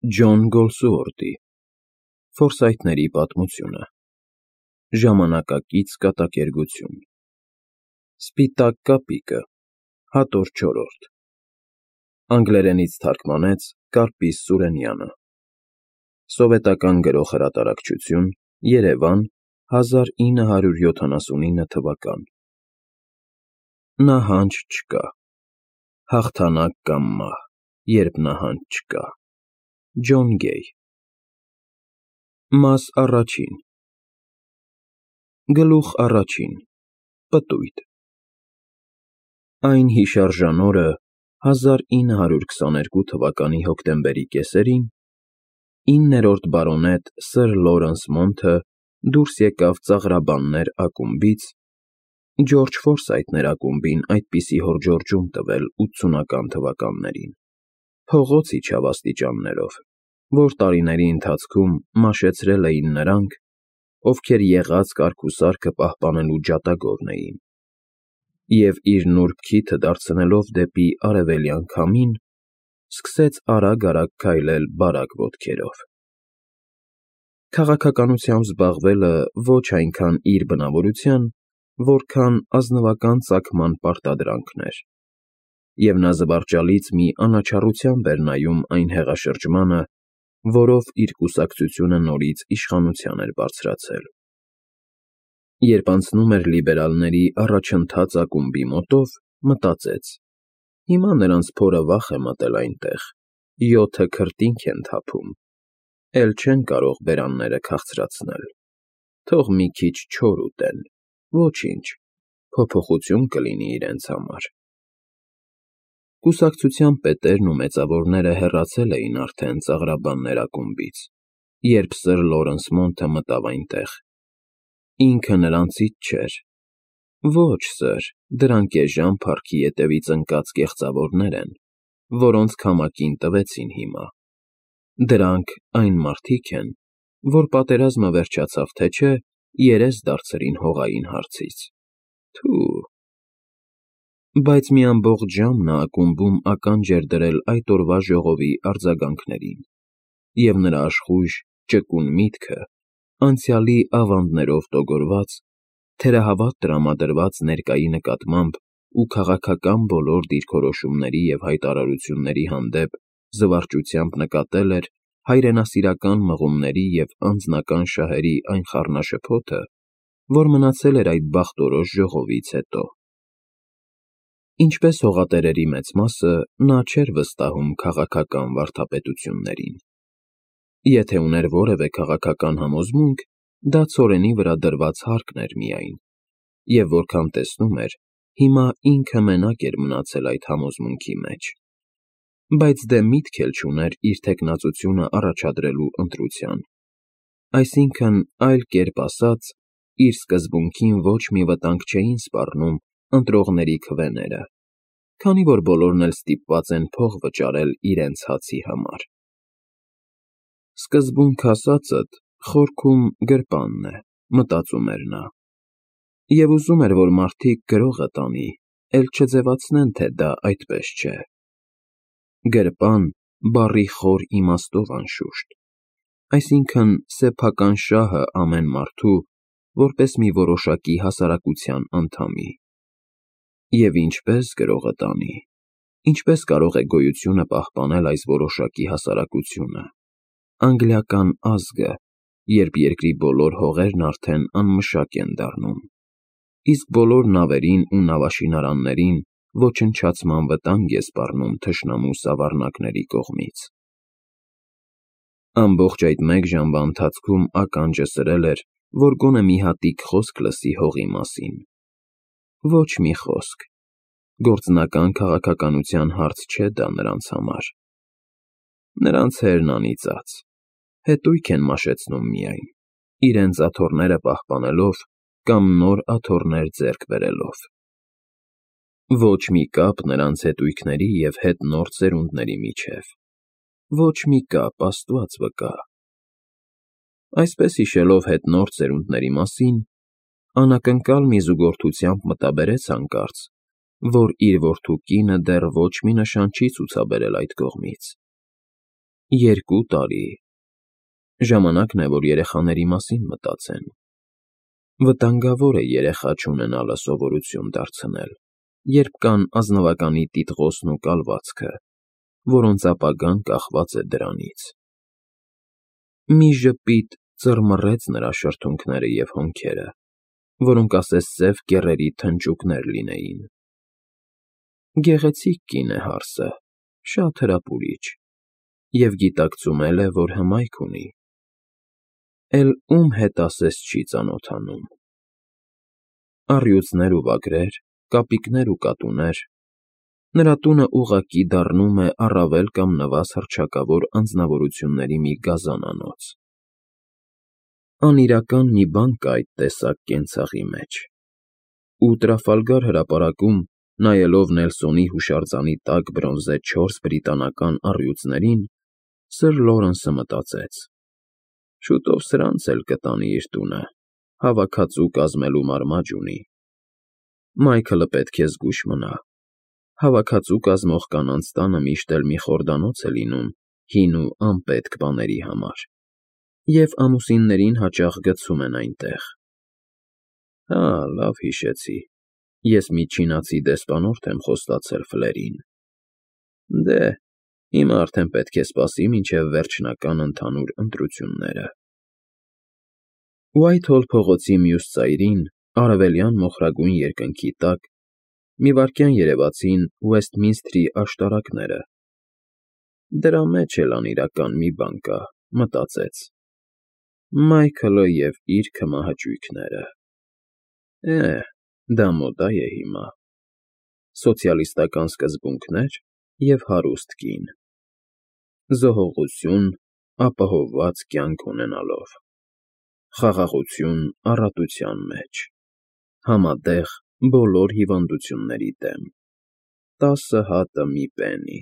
Ջոն Գոլսուորթի Ֆորսայթների պատմությունը Ժամանակակից կատակերգություն Սպիտակ կապիկը Հատոր չորրորդ Անգլերենից թարգմանեց Կարպիս Սուրենյանը Սովետական գրող հրատարակչություն Երևան 1979 թվական Նահանջ չկա Հաղթանակ կամ մահ, երբ նահանջ չկա Ջոն Գեյ Մաս առաջին Գլուխ առաջին Պտույտ Այն հիշարժան օրը 1922 թվականի հոկտեմբերի կեսերին 9-րդ բարոնետ սըր Լորենս Մոնթը դուրս եկավ ծաղրաբաններ ակումբից Ջորջ Ֆորսայթներ ակումբին այդպիսի հորդորջում տվել 80-ական թվականներին, փողոց իջավ աստիճաններով, որ տարիների ընթացքում մաշեցրել էին նրանք, ովքեր եղած կարգուսարքը պահպանելու ջատագովն էին, և իր նուրբ քիթը դարձնելով դեպի արևելյան քամին, սկսեց արագ-արագ քայլել բարակ ոտքերով։ Քաղաքականությամբ զբաղվելը ոչ այնքան իր բնավորության, որքան ազնվական ծագման պարտադրանքն էր, և նա զվարճալից մի անաչառությամբ էր նայում այն հեղաշրջմանը, որով իր կուսակցությունը նորից իշխանության էր բարձրացել։ Երբ անցնում էր լիբերալների առաջընթաց ակումբի մոտով, մտածեց. հիմա նրանց փորը վախ է մտել այնտեղ, 7 քրտինք են թափում, էլ չեն կարող բերանները քաղցրացնել, թող մի քիչ չոր ուտեն, ոչինչ, փոփոխություն կլինի իրենց համար։ Կուսակցության պետերն ու մեծավորները հեռացել էին արդեն ծաղրաբաններ ակումբից, երբ սըր Լորենս Մոնթը մտավ այնտեղ։ Ինքը նրանցից չէր։ Ոչ, սըր, դրանք էժան փառքի ետևից ընկած կեղծավորներ են, որոնց քամակին տվեցին հիմա։ Դրանք այն մարդիկ են, որ պատերազմը վերջացավ թե չէ, երես դարձրին հողային հարցից։ Թո՛ւ… Բայց մի ամբողջ ժամ նա ակումբում ականջ էր դրել այդ օրվա ժողովի արձագանքներին, և նրա աշխույժ, ճկուն միտքը, անցյալի ավանդներով տոգորված, թերահավատ տրամադրված ներկայի նկատմամբ ու քաղաքական բոլոր դիրքորոշումների և հայտարարությունների հանդեպ զվարճությամբ նկատել էր հայրենասիրական մղումների և անձնական շահերի այն խառնաշփոթը, որ մնացել էր այդ բախտորոշ ժողովից հետո։ Ինչպես հողատերերի մեծ մասը, նա չէր վստահում քաղաքական վարդապետություններին։ Եթե ուներ որևէ քաղաքական համոզմունք, դա ցորենի վրա դրված հարկն էր միայն, և որքան տեսնում էր, հիմա ինքը մենակ էր մնացել այդ համոզմունքի մեջ։ Բայց դե միտք էլ չուներ իր թեկնածությունը առաջադրելու ընտրության, այսինքն, այլ կերպ ասած, իր սկզբունքին ոչ մի վտանգ չէին սպառնում ընտրողների քվեները, քանի որ բոլորն էլ ստիպված են փող վճարել իրենց հացի համար։ Սկզբունք ասածդ խորքում գրպանն է, մտածում էր նա, և ուզում էր, որ մարդիկ գրողը տանի, էլ չձևացնեն, թե դա այդպես չէ։ Գրպան բառի խոր իմաստով անշուշտ, այսինքն սեփական շահը ամեն մարդու, որպես մի որոշակի հասարակության անդամի։ Եվ ինչպե՞ս գրողը տանի, ինչպե՞ս կարող է գոյությունը պահպանել այս որոշակի հասարակությունը, անգլիական ազգը, երբ երկրի բոլոր հողերն արդեն անմշակ են դառնում, իսկ բոլոր նավերին ու նավաշինարաններին ոչնչացման վտանգ է սպառնում թշնամու սավառնակների կողմից։ Ամբողջ այդ մեկ ժամվա ընթացքում ականջը սրել էր, որ գոնե մի հատիկ խոսք լսի հողի մասին։ Ոչ մի խոսք։ Գործնական քաղաքականության հարց չէ դա նրանց համար։ Նրանց հերն անիծած, հետույք են մաշեցնում միայն, իրենց աթոռները պահպանելով կամ նոր աթոռներ ձեռք բերելով։ Ոչ մի կապ նրանց հետույքների և հետնորդ սերունդների միջև։ Ոչ մի կապ, Աստված վկա։ Այսպես հիշելով հետնորդ սերունդների մասին, անակնկալ մի զուգորդությամբ մտաբերեց հանկարծ, որ իր որդու կինը դեռ ոչ մի նշան չի ցուցաբերել այդ կողմից։ 2 տարի։ Ժամանակն է, որ երեխաների մասին մտածեն։ Վտանգավոր է երեխա չունենալը սովորություն դարձնել, երբ կան ազնվականի տիտղոսն ու կալվածքը, որոնց ապագան կախված է դրանից։ Մի ժպիտ ծռմռեց նրա շրթունքները և հոնքերը, որոնք ասես սև կեռերի թնճուկներ լինեին։ Գեղեցիկ կին է հարսը, շատ հրապուրիչ, և գիտակցում էլ է, որ հմայք ունի։ Էլ ում հետ ասես չի ծանոթանում։ Առյուծներ ու վագրեր, կապիկներ ու կատուներ, նրա տունը ուղղակի դառնում է առավել կամ նվազ հռչակավոր անձնավորությունների մի գազանանոց։ Անիրական մի բան կա այդ տեսակ կենցաղի մեջ։ Ու Տրաֆալգար հրապարակում, նայելով Նելսոնի հուշարձանի տակ բրոնզե 4 բրիտանական առյուծներին, Սըր Լորենսը մտածեց. շուտով սրանց էլ կտանի իր տունը, հավաքածու կազմելու մարմաջ ունի։ Մայքլը պետք է զգույշ մնա։ Հավաքածու կազմող կանանց տանը միշտ էլ մի խորդանոց է լինում հին ու անպետք բաների համար, և ամուսիններին հաճախ գցում են այնտեղ։ Հա, լավ հիշեցի, ես մի չինացի դեսպանորդ եմ խոստացել Ֆլերին։ Դե, հիմա արդեն պետք է սպասի մինչև վերջնական ընդհանուր ընտրությունները։ Ուայթհոլ փողոցի մյուս ծայրին, արևելյան մոխրագույն երկնքի տակ, մի վայրկյան երևացին Ուեսթմինսթրի աշտարակները։ Դրա մեջ էլ անիրական մի բան կա, մտածեց։ Մայքլը և իր քմահաճույքները։ Դա մոդա է հիմա։ Սոցիալիստական սկզբունքներ և հարուստ կին։ Զոհողություն ապահովված կյանք ունենալով։ Խաղաղություն առատության մեջ։ Համատեղ բոլոր հիվանդությունների դեմ։ 10 հատը մի պենի։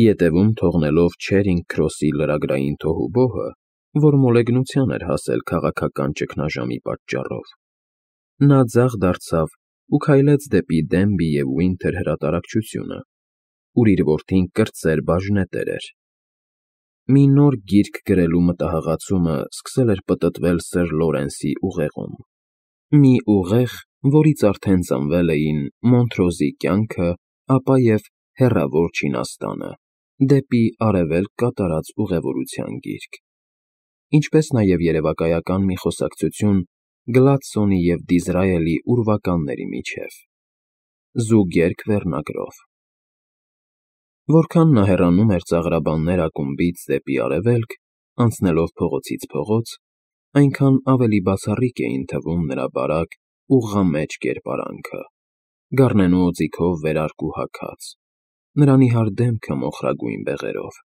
Ետևում թողնելով Չերինգ Քրոսի լրագրային թոհուբոհը, որ մոլեգնության էր հասել քաղաքական ճգնաժամի պատճառով, նա ձախ դարձավ ու քայլեց դեպի Դենբի և Ուինթեր հրատարակչությունը, ուր իր որդին կրտսեր բաժնետեր էր։ Մի նոր գիրք գրելու մտահղացումը սկսել էր պտտվել Սըր Լորենսի ուղեղում։ Մի ուղեղ, որից արդեն ծնվել էին Մոնթրոզի կյանքը, ապա և Հեռավոր Չինաստանը, դեպի Արևելք կատարած ուղևորության գիրք, ինչպես նաև երևակայական մի խոսակցություն Գլադսոնի և Դիզրայելի ուրվականների միջև։ Զուգերգ վերնագրով։ Որքան նա հեռանում էր ծաղրաբաններ ակումբից դեպի Արևելք, անցնելով փողոցից փողոց, այնքան ավելի բացառիկ էին թվում նրա բարակ ու ղամեջ կերպարանքը, գառնենու օձիքով վերարկու հագած, նրա նիհար դեմքը մոխրագույն բեղերով,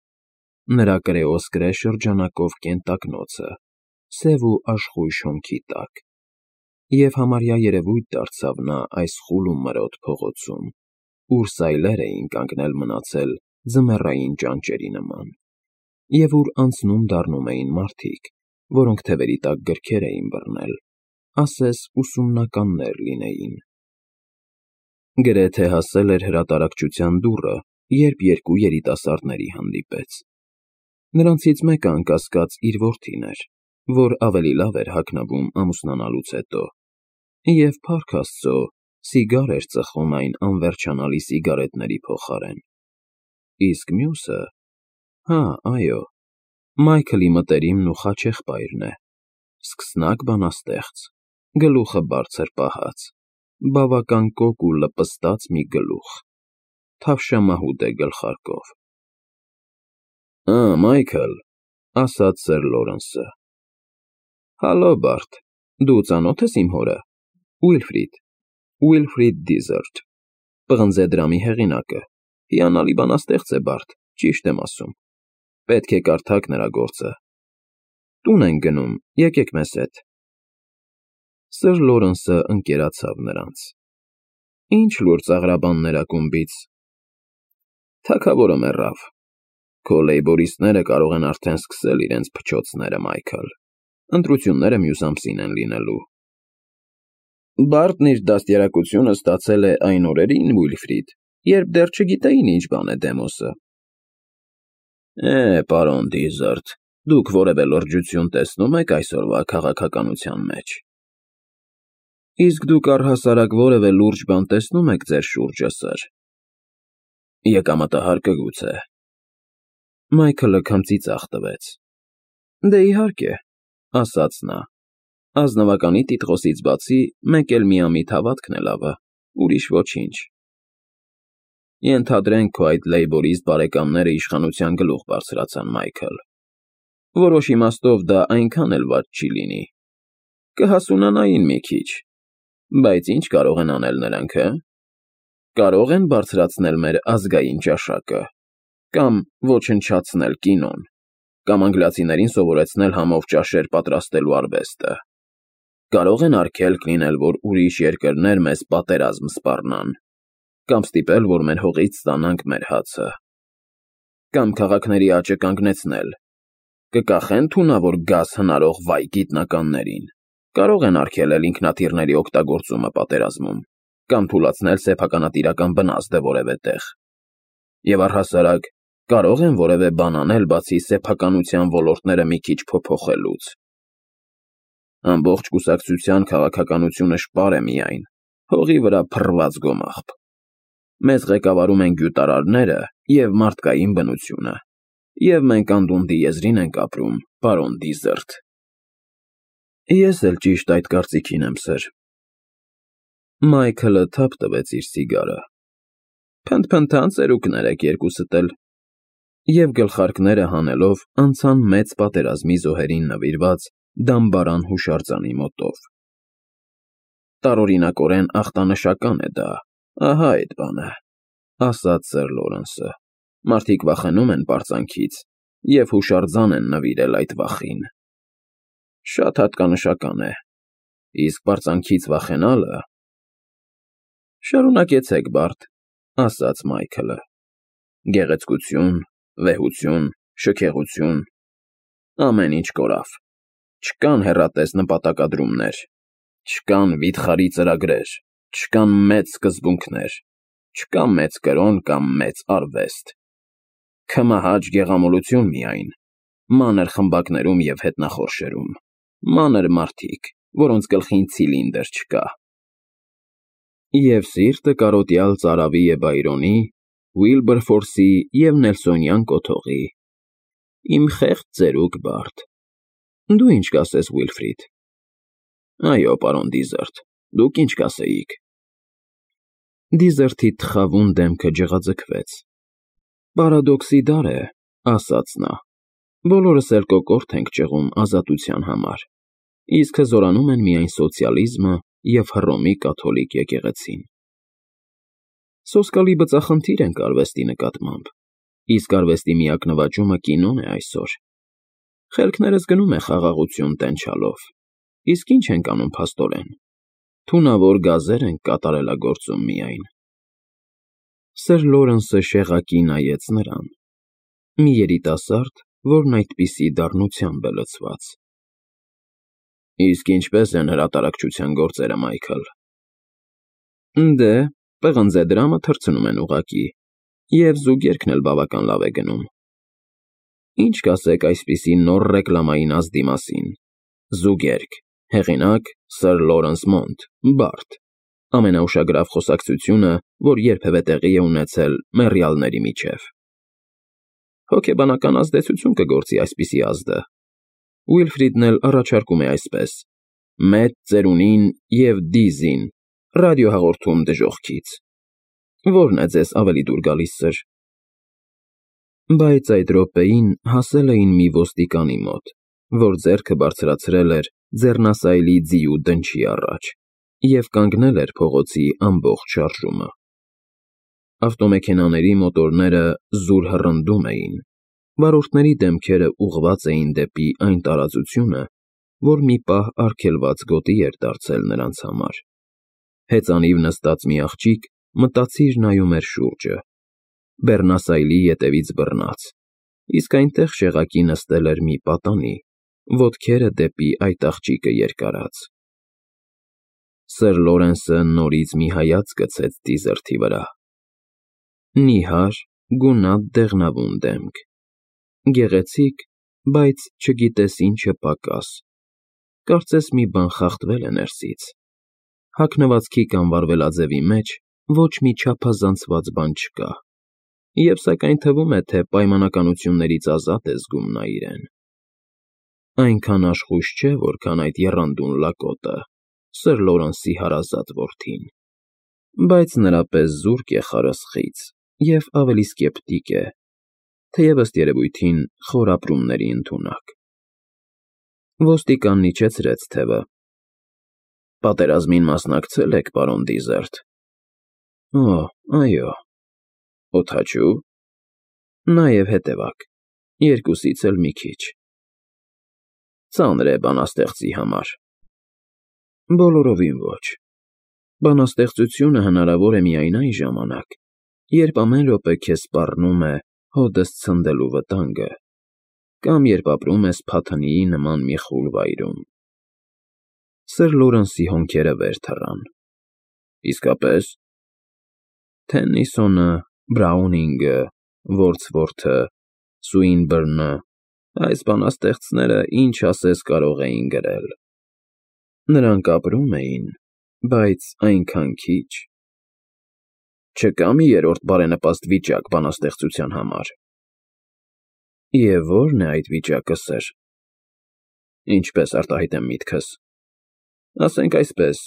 նրա կրեոսկրե շրջանակով կենտակնոցը, սև ու աշխույժ հոնքի տակ։ Եվ համարյա երևույթ դարձավ նա այս խուլ ու մրոտ փողոցում, ուր սայլեր էին կանգնել մնացել ձմեռային ճանճերի նման, և ուր անցնում֊դառնում էին մարդիկ, որոնք թևերի տակ գրքեր էին բռնել, ասես ուսումնականներ լինեին։ Գրեթե հասել էր հրատարակչության դուռը, երբ 2 երիտասարդների հանդիպեց։ Նրանցից մեկը անկասկած իր որդին էր, որ ավելի լավ էր հագնվում ամուսնանալուց հետո, և, փառք Աստծո, սիգար էր ծխում այն անվերջանալի սիգարետների փոխարեն։ Իսկ մյուսը… Հա, այո, Մայքլի մտերիմն ու խաչեղբայրն է, սկսնակ բանաստեղծ, գլուխը բարձր պահած, բավական կոկ ու լպստած մի գլուխ, թավշամահուդ է գլխարկով։ Մայքլ, ասաց Սըր Լորենսը։ Հալո, Բարդ, դու ծանո՞թ ես իմ հորը։ Ուիլֆրիդ Դիզերտ, պղնձեդրամի հեղինակը, հիանալի բանաստեղծ է, Բարդ, ճիշտ եմ ասում։ Պետք է կարդաք նրա գործը։ Տուն ենք գնում, եկեք մեզ հետ։ Սըր Լորենսը ընկերացավ նրանց։ Ինչ լուր ծաղրաբաններ ակումբից։ Թագավորը մեռավ։ Քո լեյբորիստները կարող են արդեն սկսել իրենց փչոցները, Մայքլ։ Ընտրությունները մյուս ամսին են լինելու։ Բարտն իր դաստիարակությունը ստացել է այն օրերին, Ուիլֆրիդ, երբ դեռ չգիտեին ինչ բան է դեմոսը։ Պարոն Դիզերտ, դուք որևէ լրջություն տեսնում եք այսօրվա քաղաքականության մեջ։ Իսկ դուք առհասարակ որևէ լուրջ բան տեսնում եք ձեր շուրջը, սըր։ Եկամտահարկը գուցե։ Մայքլը քմծի ծախ տվեց։ Դե իհարկե, ասաց նա։ Ազնվականի տիտղոսից բացի մեկ էլ միամիտ հավատքն է լավը, ուրիշ ոչինչ։ Ենթադրենք քո այդ լեյբորիստ բարեկամները իշխանության գլուխ բարձրացան, Մայքլ։ Որոշ իմաստով դա այնքան էլ վատ չի լինի։ Կհասունանային մի քիչ։ Բայց ինչ կարող են անել նրանք, հը։ Կարող են բարձրացնել մեր ազգային ճաշակը, կամ ոչնչացնել կինոն, կամ անգլիացիներին սովորեցնել համով ճաշեր պատրաստելու արվեստը։ Կարող են արգելք լինել, որ ուրիշ երկրներ մեզ պատերազմ սպառնան, կամ ստիպել, որ մեր հողից ստանանք մեր հացը, կամ քաղաքների աճը կանգնեցնել, կկախեն թունավոր գազ հնարող վայ գիտնականներին, կարող են արգելել ինքնաթիռների օգտագործումը պատերազմում, կամ թուլացնել սեփականատիրական բնազդը որևէ տեղ, և առհասարակ կարող են որևէ բան անել, բացի սեփականության ոլորտները մի քիչ փոփոխելուց։ Ամբողջ կուսակցության քաղաքականությունը շպար է միայն, հողի վրա փռված գոմաղբ։ Մեզ ղեկավարում են գյուտարարները և մարդկային բնությունը, և մենք անդունդի եզրին ենք ապրում, պարոն Դիզերտ։ Ես էլ ճիշտ այդ կարծիքին եմ, սըր։ Մայքլը թափ տվեց իր սիգարը։ Փնթփնթան ծերուկներ եք երկուսդ էլ։ Եվ գլխարկները հանելով անցան մեծ պատերազմի զոհերին նվիրված դամբարան հուշարձանի մոտով։ Տարօրինակորեն ախտանշական է դա, ահա այդ բանը, ասաց սըր Լորենսը։ Մարդիկ վախենում են պարծանքից և հուշարձան են նվիրել այդ վախին։ Շատ հատկանշական է, իսկ պարծանքից վախենալը… Շարունակեցեք, Բարդ, ասաց Մայքլը։ Գեղեցկություն, վեհություն, շքեղություն, ամեն ինչ կորավ։ Չկան հեռատես նպատակադրումներ, չկան վիթխարի ծրագրեր, չկան մեծ սկզբունքներ, չկա մեծ կրոն կամ մեծ արվեստ։ Քմահաճ գեղամոլություն միայն, մանր խմբակներում և հետնախորշերում, մանր մարդիկ, որոնց գլխին ցիլինդր չկա։ Եվ սիրտը կարոտյալ Ծարավի և Բայրոնի, Ուիլբերֆորսի և Նելսոնյան կոթողի։ Իմ խեղճ ծերուկ Բարդ։ Դու ինչ կասես, Ուիլֆրիդ։ Այո, պարոն Դիզերտ, դուք ինչ կասեիք։ Դիզերտի թխավուն դեմքը ջղաձգվեց։ Պարադոքսի դար է, ասաց նա։ Բոլորս էլ կոկորդ ենք ճղում ազատության համար, իսկ հզորանում են միայն սոցիալիզմը և Հռոմի կաթոլիկ եկեղեցին։ Սոսկալի բծախնդիր ենք արվեստի նկատմամբ, իսկ արվեստի միակ նվաճումը կինոն է այսօր։ Խելքներս գնում է խաղաղություն տենչալով, իսկ ինչ ենք անում փաստորեն։ Թունավոր գազեր ենք կատարելագործում միայն։ Սըր Լորենսը շեղակի նայեց նրան։ Մի երիտասարդ, որն այդպիսի դառնությամբ է լցված։ Իսկ ինչպե՞ս են հրատարակչության գործերը, Մայքլ։ Դե, պղնձե դրամը թռցնում են ուղղակի, և զուգերքն էլ բավական լավ է գնում։ Ինչ կասեք այսպիսի նոր ռեկլամային ազդի մասին։ Զուգերք, հեղինակ Սըր Լորենս Մոնտ, Բարդ, ամենաուշագրավ խոսակցությունը, որ երբևէ տեղի է ունեցել մեռյալների միջև։ Հոգեբանական ազդեցություն կգործի այսպիսի ազդը։ Ուիլֆրիդն էլ առաջարկում է այսպես. Մեծ ծերունին և Դիզին, ռադիոհաղորդում դժոխքից։ Որն է ձեզ ավելի դուր գալիս, սըր։ Բայց այդ րոպեին հասել էին մի ոստիկանի մոտ, որ ձեռքը բարձրացրել էր ձեռնասայլի ձիու դնչի առաջ և կանգնել էր փողոցի ամբողջ շարժումը։ Ավտոմեքենաների մոտորները զուր հռնդում էին, վարորդների դեմքերը ուղղված էին դեպի այն տարածությունը, որ մի պահ արգելված գոտի էր դարձել նրանց համար։ Հեծանիվ նստած մի աղջիկ մտածիր նայում էր շուրջը, բեռնասայլի ետևից բռնած, իսկ այնտեղ շեղակի նստել էր մի պատանի, ոտքերը դեպի այդ աղջիկը երկարած։ Սըր Լորենսը նորից մի հայացք գցեց Դիզերտի վրա։ Նիհար, գունատ դեղնավուն դեմք, Գեղեցիկ, բայց չգիտես ինչը պակաս, կարծես մի բան խախտվել է ներսից, հագնվածքի կամ վարվելաձևի մեջ ոչ մի չափազանցված բան չկա, և սակայն թվում է, թե պայմանականություններից ազատ է զգում նա իրեն։ Այնքան աշխույժ չէ, որքան այդ եռանդուն լակոտը, Սր Լորենսի հարազատ որդին, բայց նրա պես զուրկ է խարսխից և ավելի սկեպտիկ է, թեև ըստ երևույթին խոր ապրումների ընդունակ։ Ոստիկանն իջեցրեց թևը։ Պատերազմին մասնակցել եք, պարոն Դիզերտ։ Օ, այո։ Օդաչու։ Նաև հետևակ, երկուսից էլ մի քիչ։ Ծանր է բանաստեղծի համար։ Բոլորովին ոչ։ Բանաստեղծությունը հնարավոր է միայն այն ժամանակ, երբ ամեն րոպե քեզ սպառնում է հօդս ցնդելու վտանգը, կամ երբ ապրում ես Փաթնիի նման մի խուլ վայրում։ Սր Լորենսի հոնքերը վեր թռան։ Իսկապես։ Թեննիսոնը, Բրաունինգը, Որդսվորթը, Սուինբըրնը, այս բանաստեղծները ինչ ասես կարող էին գրել։ Նրանք ապրում էին, բայց այնքան քիչ։ Չկա՞ մի երրորդ բարենպաստ վիճակ բանաստեղծության համար։ Եվ ո՞րն է այդ վիճակը, սըր։ Ինչպես արտահայտեմ միտքս։ Ասենք այսպես,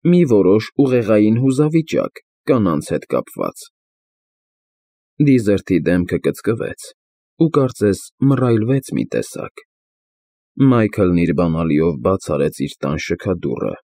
մի որոշ ուղեղային հուզավիճակ կանանց հետ կապված։ Դիզերտի դեմքը կծկվեց ու կարծես մռայլվեց մի տեսակ։ Մայքլն իր բանալիով բաց արեց իր տան շքադուռը